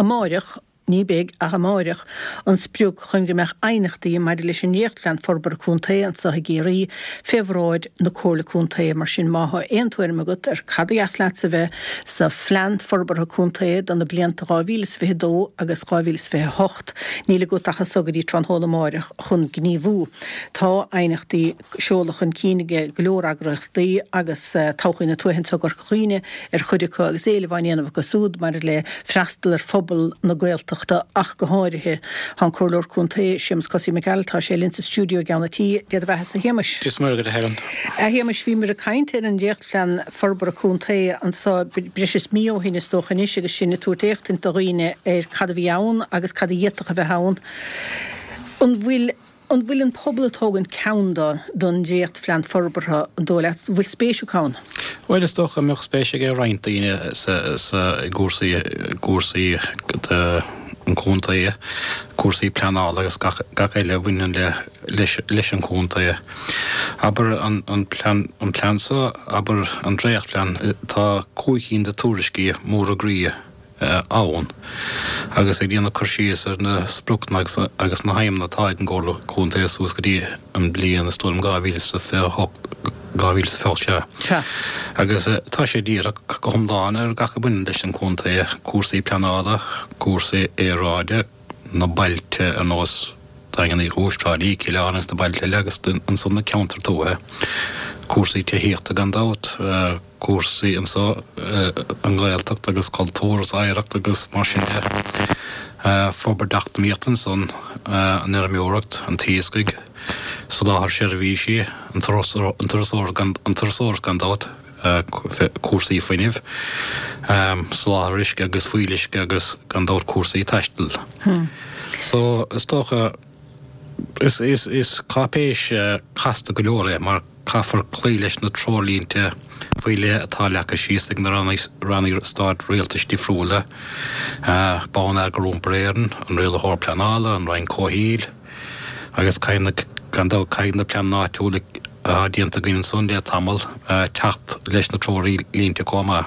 Amáireach, ní beidh ach amáireach, an sprioc chun go mbeadh aighneachtaí maidir leis an nDréachtphlean Forbartha Contae anseo i gCiarraí fé bhráid na Comhairle Contae. Mar sin, má thá aon tuairim agat ar cad a dheas leatsa a bheith sa Phlean Forbartha Contae do na blianta 2022 agus 2028, níl agat ach anso go dtí tráthnóna amáireach chun gníomhú. Tá aighneachtaí. seolta chun cinn ag go leor eagraíochtaí agus Todhchaí na Tuaithe anseo i gCorca Dhuibhne ar chuid acu agus éileamh á ndéanamh acu súd maidir le freastal ar phobal na Gaeltachta ach go háirithe. Tá an Comhairleoir Contae, Séamus Cosaí Mac Gearailt, tá sé linn sa stiúideo i gceann an tí. Dé do bheatha-sa, a Shéamais. Dia is Muire dhuit, a Helen. A Shéamais, bhíomar ag caint ar an dréachtphlean forbartha contae anseo breis is mí ó shin is dócha anois agus sinn ag tabhairt éachtaint do dhaoine ar cad a bhí ann agus cad a d'fhéadfadh a bheith ann. An bhfuil. An bhfuil an pobal ag tógaint ceann do don dréachtphlean forbartha, an dóigh leat? An bhfuil spéis acu ann? Bhuel, is dócha go mbeadh spéis ag roinnt daoine sa, sa, i gcúrsaí, gcúrsaí de an chontae, cúrsaí pleanála agus gach, gach eile a bhaineann le, leis, leis an chontae. Abair an, an plean, an plean seo, abair an dréachtphlean, tá 5 cinn de tuairiscí móra groí ann agus ag déanamh cur síos ar na spriocanna agus na haidhmeanna atá ag an gComhairle Contae suas go dtí an bliain, is dóigh liom, 2028, 2028 sea. Agus tá sé dírithe go hiomlán ar gach a bhaineann leis an gcontae, cúrsaí pleanála, cúrsaí aeráide, na bailte ar nós Daingean Uí Chúis, Trá Lí, Cill Airne agus na bailte eile agus ansan na ceantair tuaithe, cúrsaí tithíochta gan dabht, cúrsaí anso, an Ghaeltacht agus cultúr is oidhreacht agus mar sin de. Forbairt eacnamaíochta ansan, an fheirmeoireacht, an t-iascaigh, soláthar seirbhísí, an turasóireacht gan dabht, cúrsaí fuinnimh, soláthar uisce agus fuíolluisce agus gan dabht cúrsaí taistil. So, is dócha, is cáipéis casta go leor é mar caithfear cloí leis na treoirlínte faoi leith atá leagtha síos ag na ranna stáit rialtais difriúla, Bonneagar Iompair Éireann, an Rialaitheoir Pleanála, an Roinn Comhshaoil, agus caithfidh na, gan dabht, caithfidh na pleananna áitiúla atá déanta againn ansan le tamall teacht leis na treoirlínte chomh maith.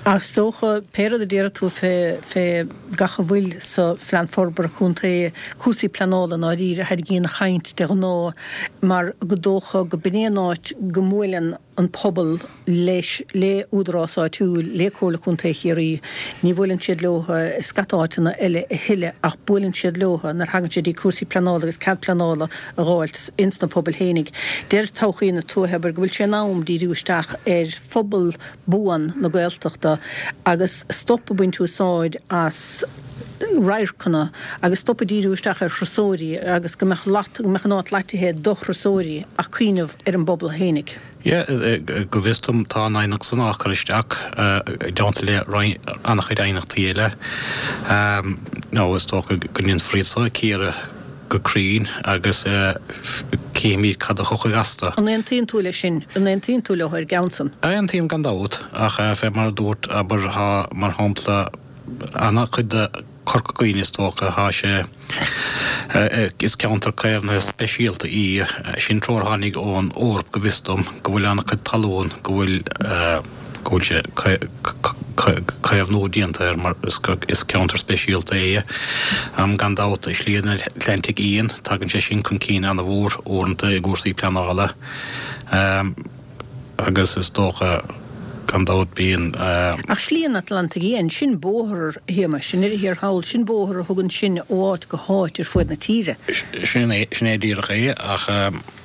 Ach is dócha, pé rud a déarfaidh tú fé, fé gach a bhfuil sa Phlean Forbartha Contae, cúrsaí pleanála i ndáiríre a tharraingíonn an chaint de ghnáth mar go dócha go b'in é an áit go mbuaileann an pobal leis, le údarás áitiúil, le Comhairle Contae Chiarraí. Ní bhuaileann siad leo i scata áiteanna eile a thuilleadh ach buaileann siad leo nuair thagann sé dtí cúrsaí pleanála agus cead pleanála a dh'fháilt ins na pobail fhéinig. Deir Todhchaí na Tuaithe, abair, go bhfuil sé in am díriú isteach ar phobal buan na Gaeltachta agus stop ag baint úsáid as radharcanna agus stop ag díriú isteach ar thurasóirí agus go mbeadh lat, go mbeadh an áit latithe do thurasóirí ach cuimhneamh ar an bpobal fhéinig. Yeah, go bhfios dom tá an aighneacht san á cur isteach i dteannta le an-chuid aighneachtaí eile. Nó is dócha go ndéanfar iad so a chíoradh go cruinn agus cífimid cad a thiocfaidh astu. An aontaíonn tú leis sin? An aontaíonn tú leo ar an gceann san? Aontaím gan dabht, ach fé mar a dúirt, abair, tá, mar shampla, an-chuid de Chorca Dhuibhne is dócha, tá sé, is ceantar caomhnaithe speisialta í, sin treoir a tháinig ón Eoraip go bhfios dom, go bhfuil an-chuid talún go bhfuil, go bhfuil sé caomhnú déanta air mar is ceantar speisialta é. Gan dabht, Slí an Atlantaigh Fhiáin, tagann sé sin chun cinn an-mhór uaireanta i gcúrsaí pleanála. Agus is dócha, gan dabht, bíonn. Ach Slí an Atlantaigh Fhiáin, sin bóthar, a Shéamais, i ndeireadh thiar thall, sin bóthar a thugann sinn ó áit go háit ar fuaid na tíre. Sin é, sin é díreach é, ach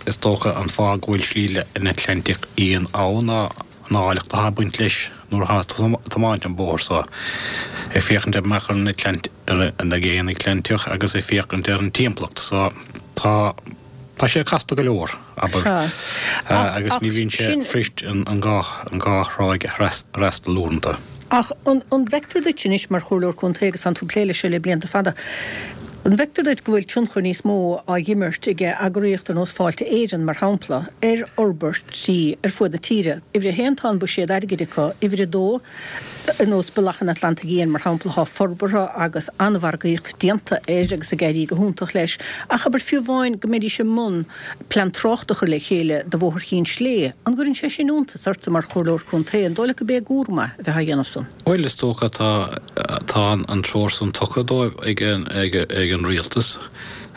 is dócha an fáth go bhfuil Slí an Atlantaigh Fhiáin ann ná an áilleacht atá ag baint leis nuair atá tú ag tiomáint an bóthar so, ag féachaint amach ar an Atlant, ar an Aigéan Atlantach agus ag féachaint ar an timpeallacht. So, tá. Tá sé casta go leor, abair, agus ní bhíonn sé fuirist an dhá thráigh a fhreastal uaireanta. Ach an bhfeictear duit anois, mar Chomhairleoir Contae agus tánn tú ag plé leis seo le blianta fada, an bhfeictear duit go bhfuil tionchar níos mó á dh'imirt ag eagraíocht ar nós Fáilte Éireann, mar shampla, ar fhorbairtí ar fuaid na tíre? Uimhir a haon, tá an buiséad airgid acu. Uimhir a dó. Ar nós Bealach an Atlantaigh Fhiáin, mar shampla, tá forbartha agus an-mhargaíocht déanta air agus ag éirí go hiontach leis. Ach abair fiú amháin go mbeidís i mbun plean tráchta a chur le chéile do Bhóthar Chinn Slé, an gcuireann sé sin iontas ortsa mar Chomhairleoir Contae? An dóigh leat go b'é a gcúram é a bheith á dhéanamh san? Bhuel, is dócha tá tá an treoir san tugtha dóibh ag an Rialtas.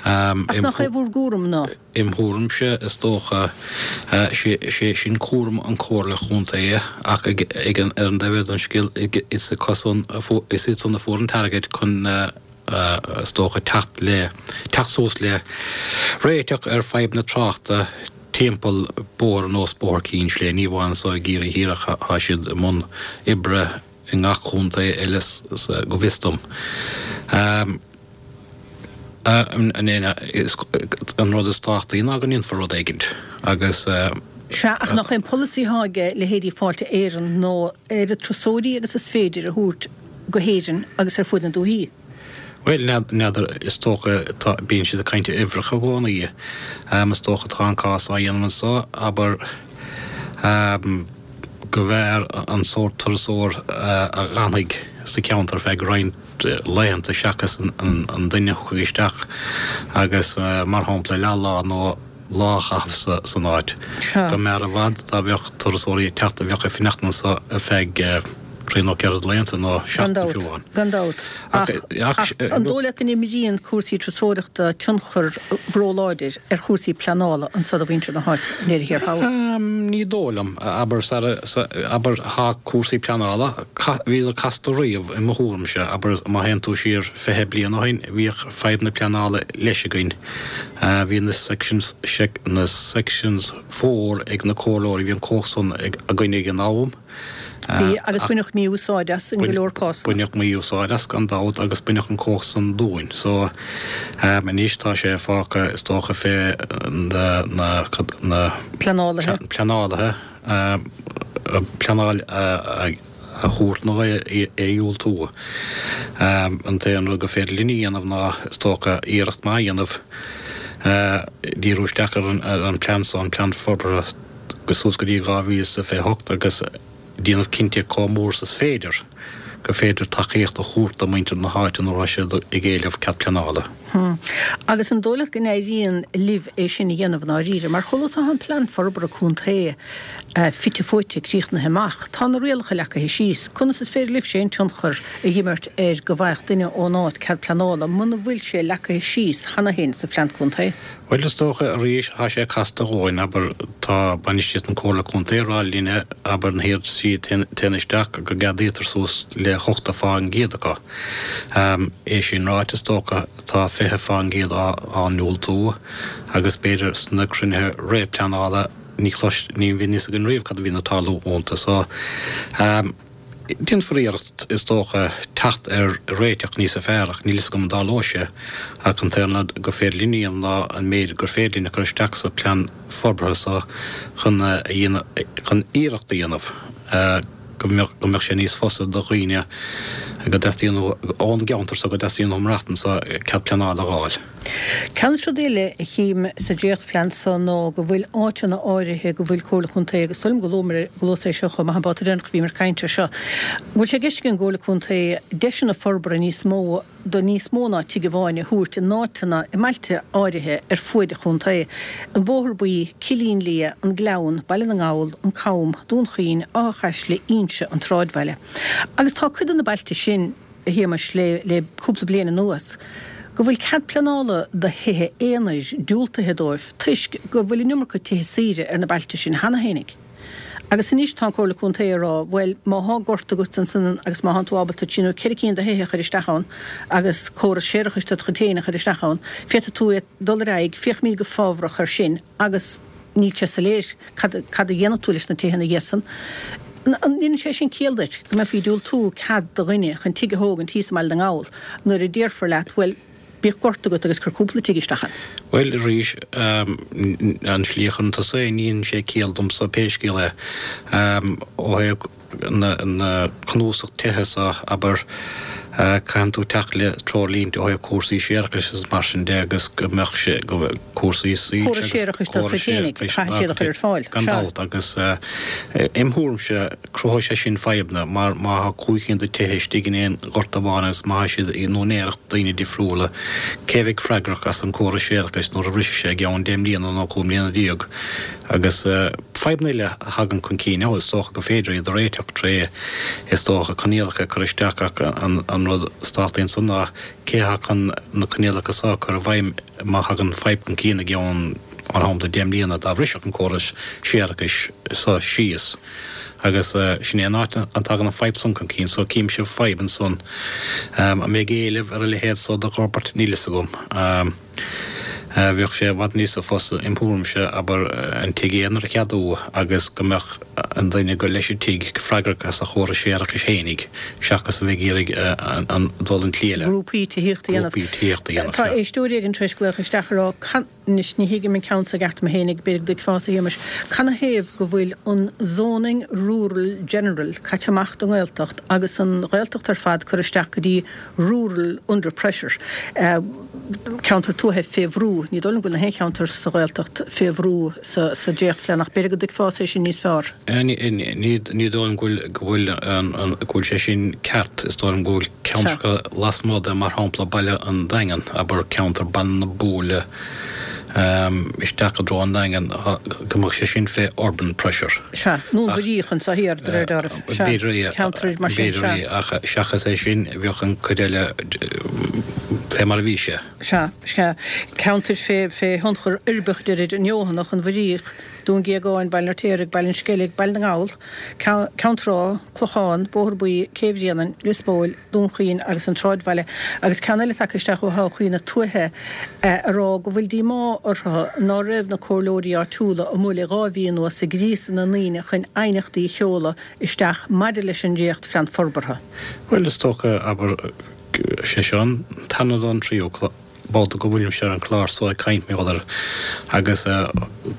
Ach nach é bhur gcúram ná? Im thuairimse, is dócha, sé sin cúram an Comhairle Chontae ach ag an ar an dtaobh eile den scéal is acusan is iad san a fuair an t-airgead chun is dócha teacht le teacht suas le réiteach ar fadhb na tráchta timpeall bóthar ar nós Bóthar Cinn Slé. Ní amháin anso i gCiarraí Thiar ach tá siad i mbun oibre i ngach contae eile go bhfios dom. An rud is tábhachtaí ná go ndéanfar rud éigint agus. Sea, ach nach é an polasaí atá ag leithéidí Fáilte Éireann ná oiread turasóirí agus is féidir a thabhairt go hÉirinn agus ar fuaid na dúichí? Bhuel, n'fheadar, is dócha, tá, bíonn siad ag caint ar uimhreacha i gcónaí. Is dócha tá an cás á dhéanamh anso, abair, go mb'fhearr an sórt turasóir a dh'fhanfaidh sa cheantar feadh roinnt laethanta seachas an duine a thiocfaidh isteach agus, mar shampla, leath-lá nó lá a chaitheamh san áit. Go mb'fhearr i bhfad dá mbeadh turasóirí ag teacht a bheadh ag fanacht anso ar feadh trí nó ceithre de laethanta nó seachtain fiú amháin. Gan dabht. Ach an dóigh leat go n-imríonn cúrsaí turasóireachta tionchar róláidir ar chúrsaí pleanála anso do mhuintir na háite i ndeireadh thiar thall? Ní dóigh liom. Abair, abair, tá cúrsaí pleanála, bhíodar casta riamh i mo thuairimse. Abair, má théann tú siar 20 bliain ó shin, bhíodh fadhb na pleanála leis againn. Bhí na sections, na sections four ag na comhairleoirí, bhí an chumhacht san againn ag an am. Bhí, agus baineadh mí-úsáid as in go leor cásanna. Baineadh mí-úsáid as, gan dabht, agus baineadh an chumhacht san dúinn. So, anois tá sé fágtha, is dócha, fé na, na, na. Pleanálaithe. Pleanálaithe, pleanáil a thabhairt nó é a dhiúltú. An t-aon rud gur féidir linn a dhéanamh ná, is dócha, iarracht maith a dhéanamh, díriú isteach ar an bplean so, an plean forbartha, suas go dtí 2028 agus déanamh cinnte chomh mór is is féidir gur féidir tacaíocht a thabhairt do mhuintir na háite nuair atá siad ag éileamh cead pleanála. Agus an dóigh leat go n-éiríonn libh é sin a dhéanamh i ndáiríre? Mar chomh luath is atá an plean forbartha contae fite fuaite, críochnaithe amach, tá na rialacha leagtha síos. Conas is féidir libhse aon tionchar a dh'imirt ar go bhfaigheadh duine ón áit cead pleanála muna bhfuil sé leagtha síos cheana féin sa phlean contae? Bhuel, is dócha, arís, tá sé casta dhóinn, abair, tá bainistíocht na Comhairle Contae ag rá linne, abair, na hiarrataisí a téann isteach, go gceadaítear suas le 80% acu. É sin ráite, is dócha, tá 20% á ndiúltú agus b'fhéidir sna cruinnithe réamhphleanála ní chlois, ní bhíonn fhios againn riamh cad a bhíonn ag tarlú iontu. So. Déanfar iarracht, is dócha, teacht ar réiteach níosa fearr ach níl fhios agam an dtarlóidh sé ach an t-aon rud gur féidir linn a dhéanamh ná an méid gur féidir linn a chur isteach sa plean forbartha so chun a dhéanamh, chun iarracht a dhéanamh go mbeadh, go mbeadh sé níos fusa do dhaoine go dteastaíonn ón gceantar so go dteastaíonn uathu maireachtaint anso cead pleanála a dh'fháil. Ceann de na rudaí eile a chím sa dréachtphlean so ná go bhfuil áiteanna áirithe go bhfuil Comhairle Contae, agus dóigh liom go luamar, go luas é seo chomh maith an babhta deireanach a bhíomar ag caint air seo, go bhfuil sé i gceist ag an gComhairle Contae deiseanna forbartha níos mó do níos mó ná tigh amháin a thabhairt in áiteanna i mbailte áirithe ar fuaid an chontae, An Bóthar Buí, Cillín Liath, An Gleann, Baile na nGall, An Cam, Dún Chaoin, Áth Chaisle, Inse, an tSráidbhaile. Agus tá cuid de na bailte sin. a Shéamais, le cúpla bliain anuas, go bhfuil cead pleanála do thithe aonair diúltaithe dóibh toisc go bhfuil an iomarca tithe saoire ar na bailte sin cheana fhéinig. Agus anois tá an Comhairle Contae ag rá, bhuel, má thá gort agat ansan agus má thánn tú ábalta trí nó ceithre cinn de thithe a chur isteach ann agus córas séarachais dod chuid féin a chur isteach ann, féadfaidh tú dul ar aghaidh, féachfaimid go fábhrach air sin agus níl sé soiléir cad cad a dhéanfaidh tú leis na tithe ina dhiaidh san. An ndéanann sé sin ciall duit, go mbeifí ag diúltú cead do dhuine chun tigh a thógaint thíos i mBaile na nGall nuair a déarfar leat, bhuel, bíodh gort agat agus cuir cúpla tigh isteach ann? Bhuel, arís, an slí a chuireann tusa é, ní dhéanann sé ciall domsa pé scéal é. Ó thaobh na cnuasach tithe so, abair, caitheann tú teacht le treoirlínte ó thaobh cúrsaí séarachais agus mar sin de agus go mbeadh sé, go. Cúrsaí soilse agus córas séarachais dá gcuid fhéinig, séarachais caithfidh siad a chur ar fáil. Gan Sea. dabht, agus im thuairimse cruthóidh sé sin fadhbanna mar má thá 500 de tithe istigh in aon ghort amháin agus má thá siad in úinéireacht daoine difriúla, cé bheidh freagrach as an córas séarachais nuair a bhrisfidh sé i gceann 10 mbliana nó 15 mbliana? Agus fadhbanna eile a thagann chun cinn, is dócha gur féidir iad a réiteach tré, is dócha, coinníollacha a chur isteach ach an rud is tábhachtaí ansan ná cé atá chun na coinníollacha so a chur i bhfeidhm má thagann fadhb chun cinn i gceann, mar shampla, 10 mbliana, dá bhrisfeadh an córas séarachais so síos. Agus sin é an áit a dtagann an fadhb san chun cinn. So címse fadhb ansan. An mbeidh éileamh ar a leithéid so d'fhorbairt? Níl fhios agam. Bheadh sé i bhfad níosa fusa, im thuairimse, abair, an tigh aonair a cheadú agus go mbeadh an duine gur leis an tigh freagrach as a chóras séarachais fhéinig, seachas a bheith ag iarraidh an dul an tslí eile. Grúpaí tithíochta a dhéanamh. Grúpaí tithíochta a dhéanamh, Tá sea. éisteoir éigin tar éis glaoch isteach a rá, Anois, ní thuigim an ceann so i gceart mé fhéinig, b'fhéidir go dtuigfeása, a Shéamais, canathaobh go bhfuil an zoning rural general caite amach don nGaeltacht agus an Ghaeltacht ar fad curtha isteach go dtí rural under pressure, ceantar tuaithe fé bhrú. Ní dóigh liom go bhfuil na haon cheantar sa Ghaeltacht fé bhrú sa dréachtphlean ach b'fhéidir go dtuigfeása é sin níos fearr. Ní dóigh liom go bhfuil go bhfuil sé sin ceart. Is dóigh liom go bhfuil ceantracha lasmuigh de, mar shampla baile an Daingin, abair ceantar Baile na Buaile isteach i dtreo an Daingin, go mbeadh sé sin fé urban pressure. Sea, nó an Mhuiríoch anso thiar, de réir dealraimh. Sea, B'fhéidir é, ceantair mar sin, b'fhéidir sea. é, ach seachas é sin, bheadh an cuid eile fé mar a bhí sé. Sea, sea. Ceantair fé, fé thionchar uirbeach, deirid, an Fheothanach, an Mhuiríoch, Dún Géagáin, Baile an Fheirtéaraigh, Baile an Sceilg, Baile na nGall, Ceann Trá, Clochán, Bóthar Buí, Cé Bhréanainn, Lios Póil, Dún Chaoin agus an tSráidbhaile agus ceann eile tagtha isteach ó Thodhchaí na Tuaithe a rá go bhfuil díomá orthu ná raibh na comhairleoirí áitiúla amuigh le 2 mhí anuas ag gríosadh na ndaoine chun aighneachtaí a sheoladh isteach maidir leis an dréacht phlean forbartha. Bhuel, is dócha, abair, sé seo an tarna nó an tríú babhta go bhfuilimse ar an chlár so ag caint mar gheall air agus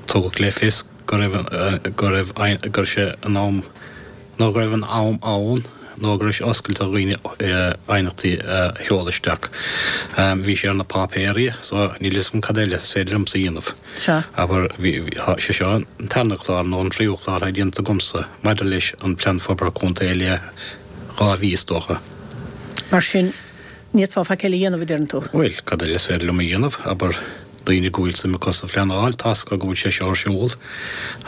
tugadh le fios go raibh, go raibh, go raibh sé in am, nó go raibh an am ann nó go raibh sé oscailte do dhaoine aighneachtaí a sheoladh isteach. Bhí sé ar na páipéirí so níl fhios agam cad eile is féidir liomsa a dhéanamh. Sea. Abair, bhí, tá sé seo an tarna clár nó an tríú clár atá déanta agamsa maidir leis an Plean Forbartha Contae le 2 mhí is dócha. Mar sin, ní fhéadfá faic eile a dhéanamh, a deireann tú? Bhuel, cad eile is féidir liom a dhéanamh, abair, daoine go bhfuil suim acu sa phleanáil, tá's acu go bhfuil sé seo ar siúl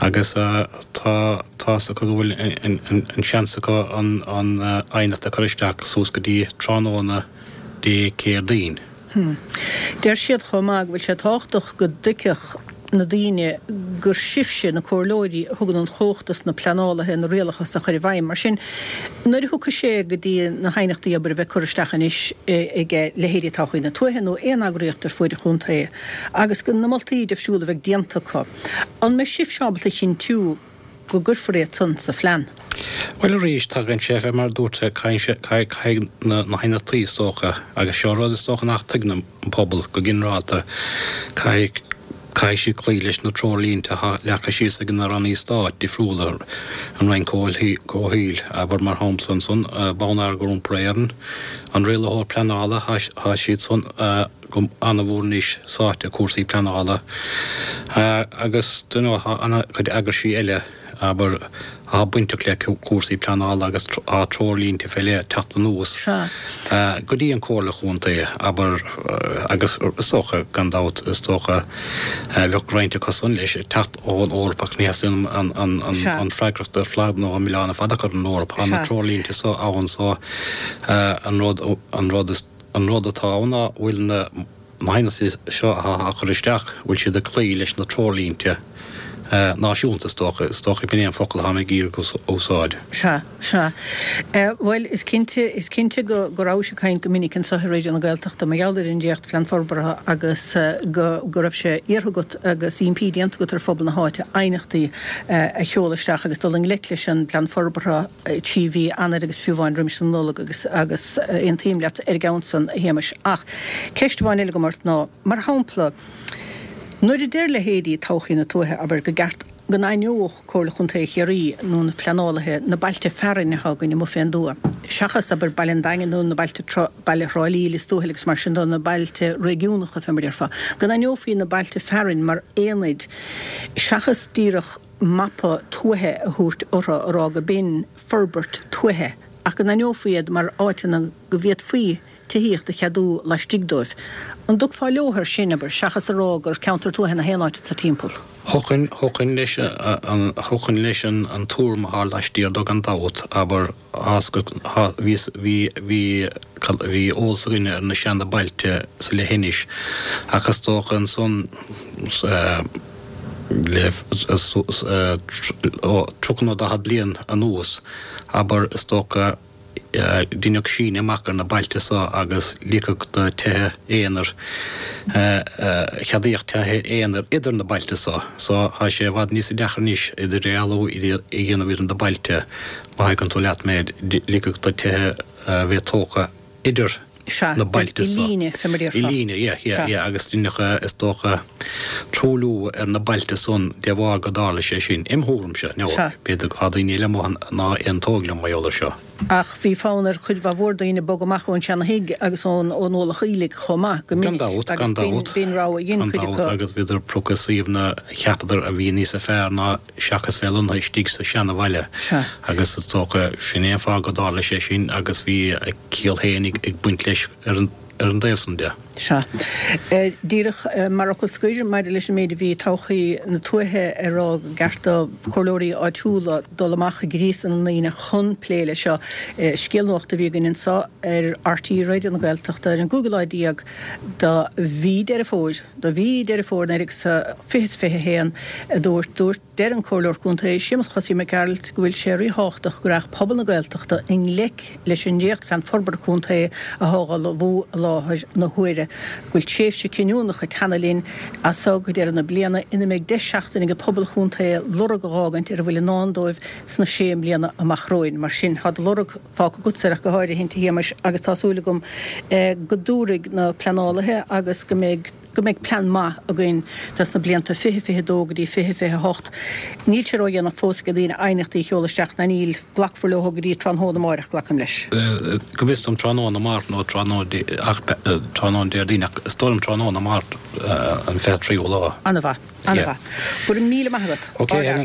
agus tá tá's acu go bhfuil an seans acu an aighneacht a chur isteach suas go dtí tráthnóna Dé Céadaoin. Deir siad chomh maith go bhfuil sé tábhachtach go dtuigfeadh na daoine gur sibhse, na comhairleoirí, a thugann an chumhacht dos na pleanálaithe na rialacha a chur i bhfeidhm. Mar sin, nuair a thiocfaidh sé go dtí na haighneachtaí abair a bheith curtha isteach anois ag leithéidí Todhchaí na Tuaithe nó aon eagraíocht ar fuaid an chontae agus go na moltaí difriúla a bheidh déanta acu, an mbeidh sibhse ábalta a chinntiú go gcuirfear iad san sa phlean? Bhuel arís, tagann sé fé mar a dúirt sé, caithfidh sé, caithfidh na haighneachtaí is dócha, agus seo rud is dócha nach dtuigeann an pobal go ginearálta, caithfidh, caithfidh siad cloí leis na treoirlínte atá leagtha síos ag na rannaí stáit difriúla, an Roinn Comhshaoil, abair mar shampla ansan, Bonneagar Iompair Éireann, an Rialaitheoir Pleanála, tá siad san go an-mhór anois sáite i cúrsaí pleanála agus you know tá an-chuid eagraisí eile, abair, atá bainteach le cúrsaí pleanála agus tá treoirlínte fé leith ag teacht anuas go dtí an Comhairle Chontae, abair, agus is dócha, gan dabht, is dócha, bheadh roinnt acu san leis ag teacht ón Eoraip ach ní theastaíonn an freagracht ar fad nó an milleán ar fad a chur ar an Eoraip. Tá na treoirlínte so ann so an rud, an rud is, an rud atá ann ná bhfuil na haighneachtaí seo atá á chur isteach, bhfuil siad ag cloí leis na treoirlínte náisiúnta is dócha, is dócha b'in é an focal atá mé ag iarraidh a úsáid. Sea, sea. Bhuel, is cinnte, is cinnte go, go rabhais ag caint go minic anseo ar Raidió na Gaeltachta mar gheall ar an dréachtphlean forbartha agus go, go raibh sé iarrtha agat agus impí déanta agat ar phobal na háite aighneachtaí a sheoladh isteach agus dul i ngleic leis an bplean forbartha 3 mhí Eanáir agus fiú amháin roimis an Nollaig agus agus aontaím leat ar an gceann san, a Shéamais. Ach ceist amháin eile agam ort ná, mar shampla, nuair a deir leithéidí Todhchaí na Tuaithe, abair, go gceart. go n-aithneodh Comhairle Chontae Chiarraí nó na pleanálaithe na bailte fearainn atá againn amuigh fén dtuath, seachas, abair, Baile an Daingin nó na bailte, baile Thrá Lí, Lios Tuathail agus mar sin de, na bailte réigiúnacha fé mar a déarfá, go n-aithneofaí na bailte fearainn mar aonaid seachas díreach mapa tuaithe a thabhairt orthu a rá go b'in forbairt tuaithe ach go n-aithneofaí iad mar áiteanna go bhféadfaí tithíocht a cheadú laistigh dóibh. An dtiocfá leo air sin, abair, seachas a rá gur ceantar tuaithe na haon áit atá timpeall? Thiocfainn, thiocfainn leis an, thiocfainn leis an tuairim atá laistiar de gan dabht, abair, bhí, bhí, bhí, bhí eolas againne ar na seana bailte sa leithinis ach is dócha ansan le 30 nó 40 bliain anuas, abair, is dócha, Deineadh síneadh amach ar na bailte so agus ligeadh do tithe aonair, cheadaíodh tithe aonair idir na bailte so. So tá sé i bhfad níosa deacra anois idirdhealú a dhéanamh idir na bailte, má thuigeann tú leat mé. Ligeadh do tithe a bheith tógtha idir Sea, na bailte i so. líne, fé mar a I déarfá. líne, yeah, yeah, Sea. yeah, agus deineadh, is dócha, truailliú ar na bailte san de bharr go dtarla sé sin, im thuairimse, now, Sea. b'fhéidir go tá daoine eile amuigh ná aontóidh liom mar gheall ar seo. Ach bhí fonn ar chuid mhaith mhór daoine bogadh amach ón seana-thigh agus ón ón Mhullach Aoiligh chomh maith, go Gan minic, dabht, agus gan b'in, dabht, b'in rogha a dhein gan cuid dabht, acu. agus bhíodar ag piocadh suíomhanna a cheapadar a bhí níosa fearr ná seachas bheith lonnaithe istigh sa seana-bhaile. Sea. Agus is dócha, sin é an fáth go dtarla sé sin agus bhí a chiall féin ag baint leis ar an ar an dtaobh san de. Sea. Díreach mar fhocal scoir, maidir leis an méid a bhí todhchaí na tuaithe a rá go gceart do chomhairleoirí áitiúla dul amach ag gríosadh na ndaoine chun plé leis seo, scéal nuachta a bhí againn anseo ar RTÉ Raidió na Gaeltachta ar an gcúigiú lá déag de mhí Deireadh Fómhair, de mhí Deireadh Fómhair 2021, a dúirt, dúirt. Deir an Comhairleoir Contae Séamus Chosaí Mac Gearailt go bhfuil sé ríthábhachtach go rachadh pobal na Gaeltachta i ngleic leis an dréachtphlean forbartha contae atá á ullmhú i láthair na huaire, go bhfuil tréimhse cinniúnach ag teannadh linn as seo go deireadh na bliana ina mbeidh deis seachtaine ag pobal an chontae lorg a dh'fhágaint ar a bhfuil i ndán dóibh sna sé mbliana amach romhainn. Mar sin, tá do lorg fágtha agatsa ach go háirithe, a Shéamais, agus tá súil agam go dtabharfaidh na pleanálaithe agus go mbeidh. go mbeidh plean maith againn dos na blianta 2022 go dtí 2028. Níl sé ródhéanach fós ag daoine aighneachtaí a sheoladh isteach, ná níl, glacfar leo go dtí tráthnóna amáireach, glacaim leis. Go bhfios dom tráthnóna amárach nó tráthnóna ach tráthnóna Déardaoin ach is dóigh liom tráthnóna amárach an 23ú lá. Ana-mhaith. Ana-mhaith. Go raibh míle maith agat. Ok Helen.